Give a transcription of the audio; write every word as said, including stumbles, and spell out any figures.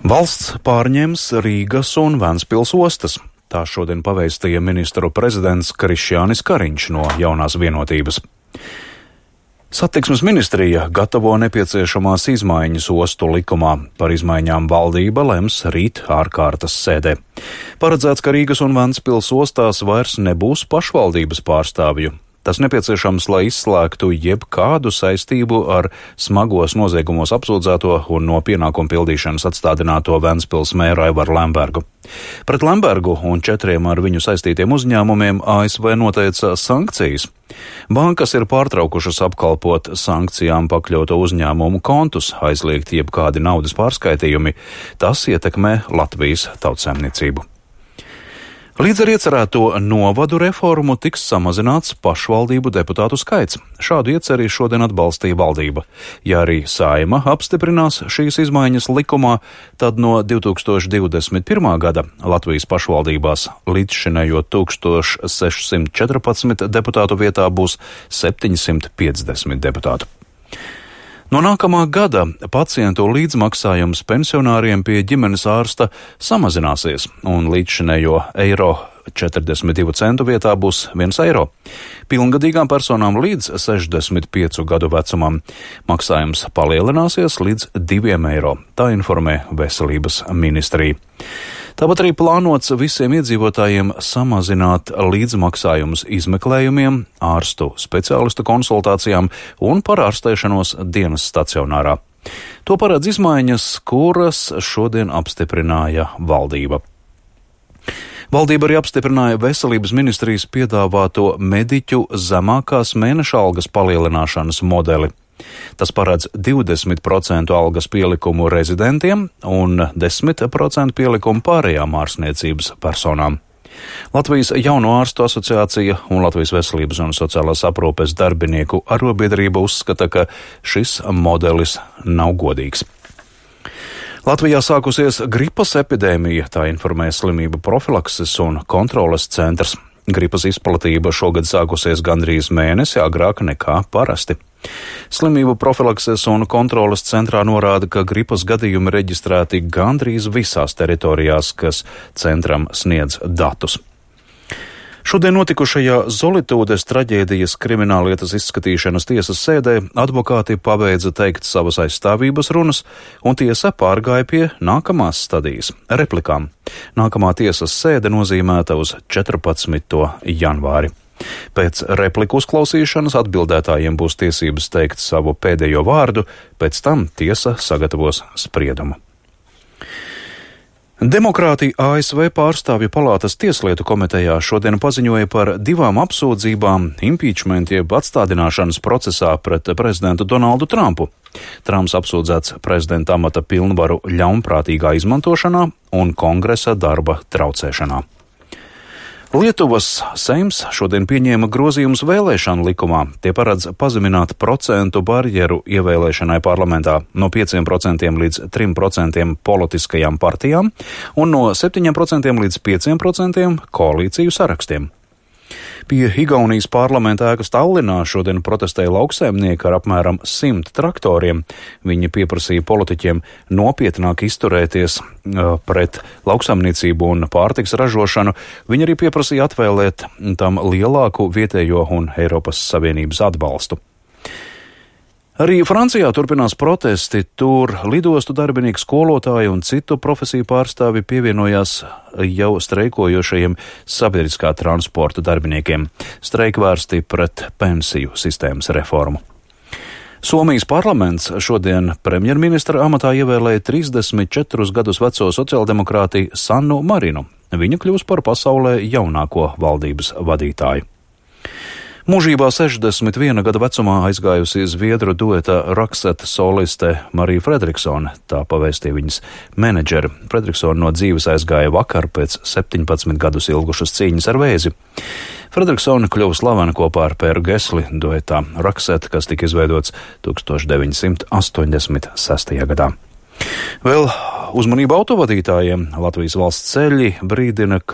Valsts pārņems Rīgas un Ventspils ostas. Tā šodien pavēstīja ministru prezidents Krišjānis Kariņš no Jaunās Vienotības. Satiksmes ministrija gatavo nepieciešamās izmaiņas ostu likumā. Par izmaiņām valdība lems rīt ārkārtas sēdē. Paredzēts, ka Rīgas un Ventspils ostās vairs nebūs pašvaldības pārstāvju. Tas nepieciešams, lai izslēgtu jebkādu saistību ar smagos noziegumos apsūdzēto un no pienākumu pildīšanas atstādināto Ventspils mēru Aivaru Lembergu. Pret Lembergu un četriem ar viņu saistītiem uzņēmumiem A S V noteica sankcijas. Bankas ir pārtraukušas apkalpot sankcijām pakļauto uzņēmumu kontus, aizliegt jebkādi naudas pārskaitījumi. Tas ietekmē Latvijas tautsaimniecību. Līdz ar iecerēto novadu reformu tiks samazināts pašvaldību deputātu skaits. Šādu ieceri šodien atbalstīja valdība. Ja arī Saeima apstiprinās šīs izmaiņas likumā, tad no divi tūkstoši divdesmit pirmā gada Latvijas pašvaldībās līdzšinējo tūkstoš sešsimt četrpadsmit deputātu vietā būs septiņsimt piecdesmit deputātu. No nākamā gada pacientu līdzmaksājums pensionāriem pie ģimenes ārsta samazināsies, un līdzšinējo eiro četrdesmit divu centu vietā būs viens eiro. Pilngadīgām personām līdz sešdesmit piecu gadu vecumam maksājums palielināsies līdz diviem eiro, tā informē Veselības ministrija. Tāpat arī plānots visiem iedzīvotājiem samazināt līdzmaksājumus izmeklējumiem, ārstu speciālistu konsultācijām un par ārstēšanos dienas stacionārā. To paredz izmaiņas, kuras šodien apstiprināja valdība. Valdība arī apstiprināja Veselības ministrijas piedāvāto mediķu zemākās mēneša algas palielināšanas modeli. Tas paredz divdesmit procentu algas pielikumu rezidentiem un desmit procentu pielikumu pārējām ārstniecības personām. Latvijas Jauno ārstu asociācija un Latvijas Veselības un sociālās aprūpes darbinieku arobiedrība uzskata, ka šis modelis nav godīgs. Latvijā sākusies gripas epidēmija, tā informē Slimību profilakses un kontroles centrs. Gripas izplatība šogad sākusies gandrīz mēnesi agrāk nekā parasti. Slimību profilakses un kontroles centrā norāda, ka gripas gadījumi reģistrēti gandrīz visās teritorijās, kas centram sniedz datus. Šodien notikušajā Zolitūdes traģēdijas krimināllietas izskatīšanas tiesas sēdē advokāti pabeidza teikt savas aizstāvības runas, un tiesa pārgāja pie nākamās stadijas – replikām. Nākamā tiesas sēde nozīmēta uz četrpadsmito janvāri. Pēc repliku uzklausīšanas atbildētājiem būs tiesības teikt savu pēdējo vārdu, pēc tam tiesa sagatavos spriedumu. Demokrāti A S V pārstāvju palātas tieslietu komitejā šodien paziņoja par divām apsūdzībām impeachment jeb atstādināšanas procesā pret prezidentu Donaldu Trumpu. Trumps apsūdzēts prezidenta amata pilnvaru ļaunprātīgā izmantošanā un kongresa darba traucēšanā. Lietuvas Seims šodien pieņēma grozījumus vēlēšanu likumā. Tie paredz pazemināt procentu barjeru ievēlēšanai parlamentā no pieciem procentiem līdz trim procentiem politiskajām partijām un no septiņiem procentiem līdz pieciem procentiem koalīciju sarakstiem. Pie Igaunijas parlamenta ēkas Tallinā šodien protestēja lauksaimnieki ar apmēram simt traktoriem. Viņi pieprasīja politiķiem nopietnāk izturēties pret lauksaimniecību un pārtiks ražošanu. Viņi arī pieprasīja atvēlēt tam lielāku vietējo un Eiropas Savienības atbalstu. Arī Francijā turpinās protesti, tur lidostu darbinieki, skolotāji un citu profesiju pārstāvi pievienojās jau streikojošajiem sabiedriskā transporta darbiniekiem. Streiki vērsti pret pensiju sistēmas reformu. Somijas parlaments šodien premjerministra amatā ievēlēja trīsdesmit četrus gadus veco sociāldemokrāti Sannu Marinu. Viņa kļūs par pasaulē jaunāko valdības vadītāju. Mūžībā sešdesmit viena gada vecumā aizgājusi zviedru dueta Roksete soliste Marija Fredriksone, tā pavēstīja viņas menedžeri. Fredriksone no dzīves aizgāja vakar pēc septiņpadsmit gadus ilgušas cīņas ar vēzi. Fredriksone kļuva slavena kopā ar Pēru Gesli duetā Roksete, kas tika izveidots tūkstoš deviņsimt astoņdesmit sestajā gadā. Vēl uzmanību autovadītājiem. Latvijas valsts ceļi brīdina, ka